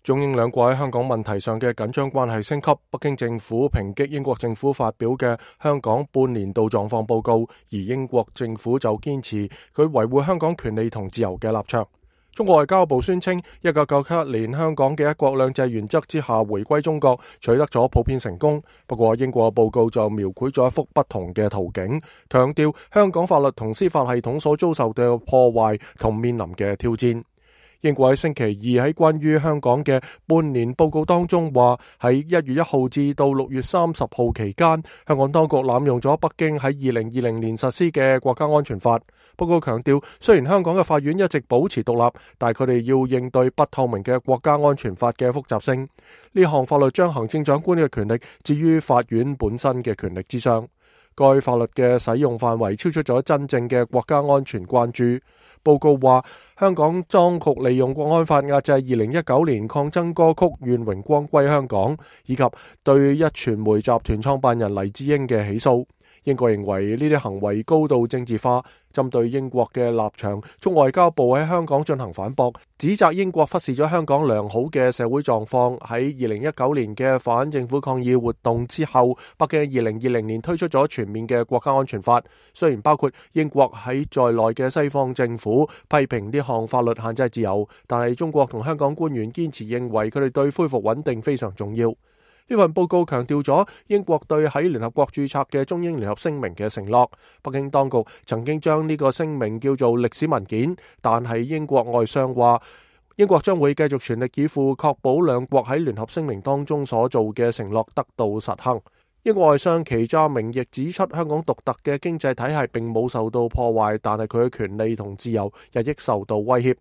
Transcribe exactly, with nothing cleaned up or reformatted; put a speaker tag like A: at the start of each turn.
A: 中英兩國喺香港問題上嘅緊張關係升級，北京政府抨擊英國政府發表嘅香港半年度狀況報告，而英國政府就堅持佢維護香港權利同自由嘅立場。中國外交部宣稱，一九九七年香港嘅一國兩制原則之下回歸中國取得咗普遍成功。不過英國報告就描繪咗一幅不同嘅圖景，強調香港法律同司法系統所遭受嘅破壞同面臨嘅挑戰。英國喺星期二喺關於香港嘅半年報告當中話，喺一月一號至到六月三十號期間，香港當局濫用咗北京喺二零二零年實施嘅國家安全法。報告強調，雖然香港嘅法院一直保持獨立，但佢哋要應對不透明嘅國家安全法嘅複雜性。呢項法律將行政長官嘅權力置於法院本身嘅權力之上。該法律嘅使用範圍超出咗真正嘅國家安全關注。報告話，香港當局利用國安法壓制二零一九年抗爭歌曲《願榮光歸香港》，以及對壹傳媒集團創辦人黎智英嘅起訴。英國認為呢啲行為高度政治化。針對英國嘅立場，中外交部喺香港進行反駁，指責英國忽視咗香港良好嘅社會狀況。喺二零一九年嘅反政府抗議活動之後，北京二零二零年推出咗全面嘅國家安全法。雖然包括英國喺在內嘅西方政府批評呢項法律限制自由，但係中國同香港官員堅持認為佢哋對恢復穩定非常重要。呢份報告強調咗英國對喺聯合國註冊嘅中英聯合聲明嘅承諾。北京當局曾經將呢個聲明叫做歷史文件，但係英國外相話，英國將會繼續全力以赴確保兩國喺聯合聲明當中所做嘅承諾得到實行。英國外相祁湛明亦指出，香港獨特嘅經濟體系並冇受到破壞，但係佢嘅權利同自由日益受到威脅。